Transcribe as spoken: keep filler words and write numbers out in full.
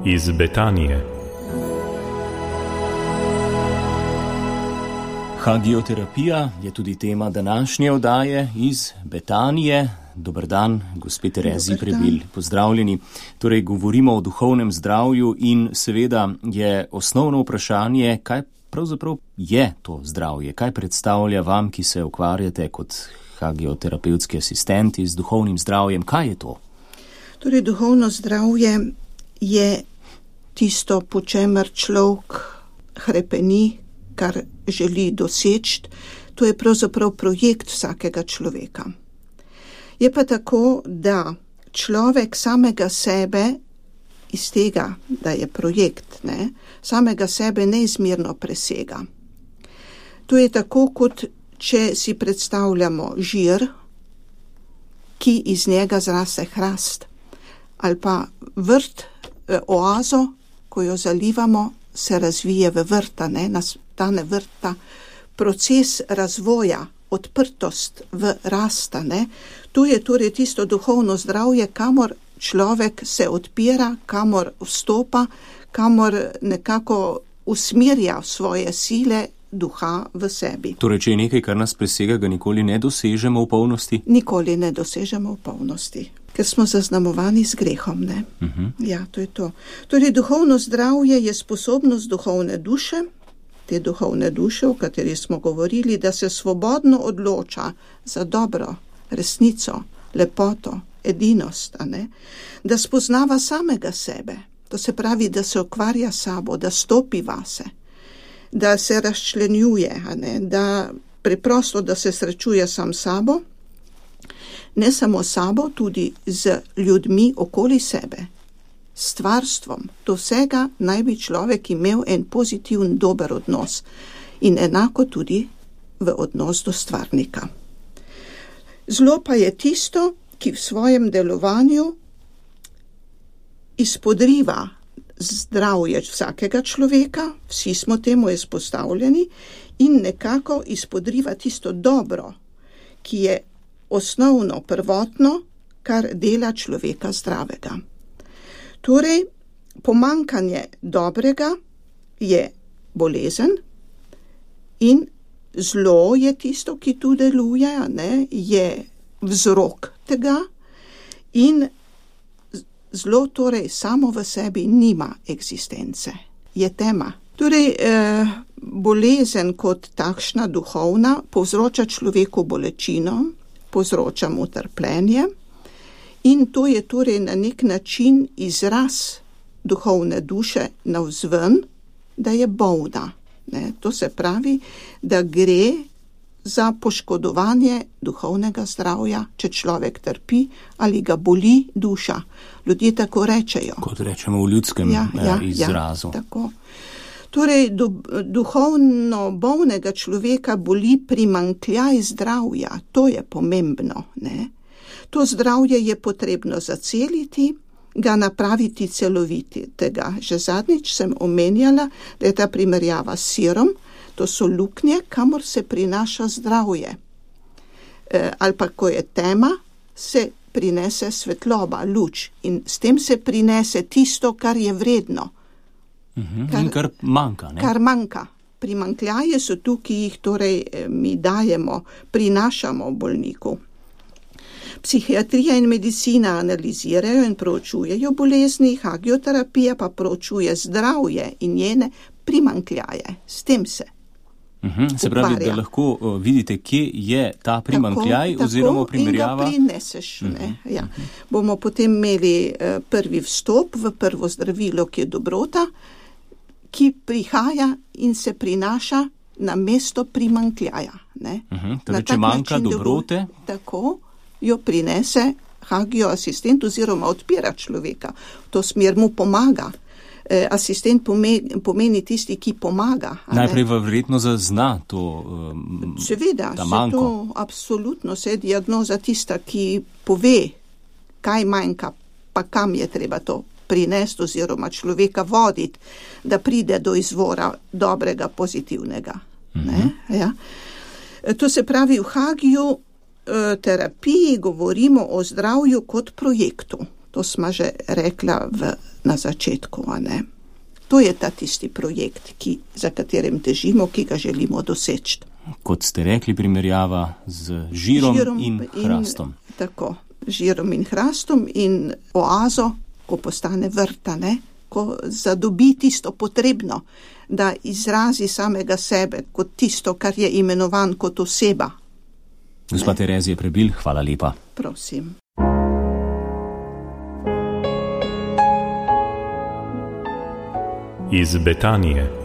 Iz Betanije. Hagioterapija je tudi tema današnje oddaje iz Betanije. Dober dan, gospe Terezi Prebil, pozdravljeni. Torej, govorimo o duhovnem zdravju in seveda je osnovno vprašanje, kaj pravzaprav je to zdravje, kaj predstavlja vam, ki se ukvarjate kot hagioterapevtski asistenti z duhovnim zdravjem, kaj je to? Torej, duhovno zdravje je tisto, po čemer človek hrepeni, kar želi doseči. To je pravzaprav projekt vsakega človeka. Je pa tako, da človek samega sebe, iz tega, da je projekt, ne, samega sebe neizmerno presega. To je tako, kot če si predstavljamo žir, ki iz njega zraste hrast, ali pa vrt, oazo, ko jo zalivamo, se razvije v vrta, ne, nastane vrta, proces razvoja, odprtost v rasta, ne. Tu je torej tisto duhovno zdravje, kamor človek se odpira, kamor vstopa, kamor nekako usmerja svoje sile duha v sebi. Torej, če je nekaj, kar nas presega, ga nikoli ne dosežemo v polnosti? Nikoli ne dosežemo v polnosti, ker smo zaznamovani z grehom, ne. Uh-huh. Ja, to je to. Torej, duhovno zdravje je sposobnost duhovne duše, te duhovne duše, o kateri smo govorili, da se svobodno odloča za dobro, resnico, lepoto, edinost, a ne? Da spoznava samega sebe, to se pravi, da se ukvarja sabo, da stopi vase, da se razčlenjuje, a ne? Da preprosto, da se srečuje sam sabo, ne samo sabo, tudi z ljudmi okoli sebe, stvarstvom. Do vsega naj bi človek imel en pozitiven, dober odnos in enako tudi v odnos do stvarnika. Zlo pa je tisto, ki v svojem delovanju izpodriva zdravje vsakega človeka, vsi smo temu izpostavljeni, in nekako izpodriva tisto dobro, ki je osnovno, prvotno, kar dela človeka zdravega. Torej, pomanjkanje dobrega je bolezen in zlo je tisto, ki tu deluje, ne, je vzrok tega in zlo torej samo v sebi nima eksistence, je tema. Torej, eh, bolezen kot takšna duhovna povzroča človeku bolečino, povzroča mu trpljenje in to je torej na nek način izraz duhovne duše navzven, da je bolna. Ne, to se pravi, da gre za poškodovanje duhovnega zdravja, če človek trpi ali ga boli duša. Ljudje tako rečejo. Kot rečemo v ljudskem ja, ja, izrazu. Ja, tako. Torej, du, duhovno bolnega človeka boli primanjkljaj zdravja. To je pomembno. Ne? To zdravje je potrebno zaceliti, ga napraviti celovitega. Že zadnjič sem omenjala, da je ta primerjava s sirom, to so luknje, kamor se prinaša zdravje. E, ali pa, ko je tema, se prinese svetloba, luč in s tem se prinese tisto, kar je vredno. Uh-huh. Kar, in kar manjka, ne? Kar manjka. Primanjkljaje so tu, ki jih torej mi dajemo, prinašamo bolniku. Psihiatrija in medicina analizirajo in proučujejo bolezni, hagioterapija pa proučuje zdravje in njene primanjkljaje. S tem se uh-huh. Se pravi, da lahko uh, vidite, kje je ta primanjkljaj tako, oziroma primerjava. Tako, in ga prineseš. Uh-huh. Ne? Ja. Bomo potem imeli uh, prvi vstop v prvo zdravilo, ki je dobrota, ki prihaja in se prinaša na mesto primanjkljaja. Ne? Uh-huh. Torej, če manjka dobrote. Tako jo prinese hagio asistent oziroma odpira človeka. V to smer mu pomaga. E, asistent pomeni, pomeni tisti, ki pomaga. Najprej verjetno zazna to um, Seveda, ta manjko. Seveda, absolutno se diagnoza tista, ki pove, kaj manjka, pa kam je treba to prinesti oziroma človeka voditi, da pride do izvora dobrega, pozitivnega. Mm-hmm. Ne? Ja. E, to se pravi, v hagiju terapiji govorimo o zdravju kot projektu. To smo že rekla v, na začetku, a ne. To je ta tisti projekt, ki, za katerim težimo, ki ga želimo doseči. Kot ste rekli, primerjava z žirom, žirom in hrastom. In, tako, žirom in hrastom in oazo, ko postane vrta, ne, ko zadobi tisto potrebno, da izrazi samega sebe kot tisto, kar je imenovan kot oseba. Gospa Terezija Prebilj, hvala lepa. Prosim. Iz Betanije.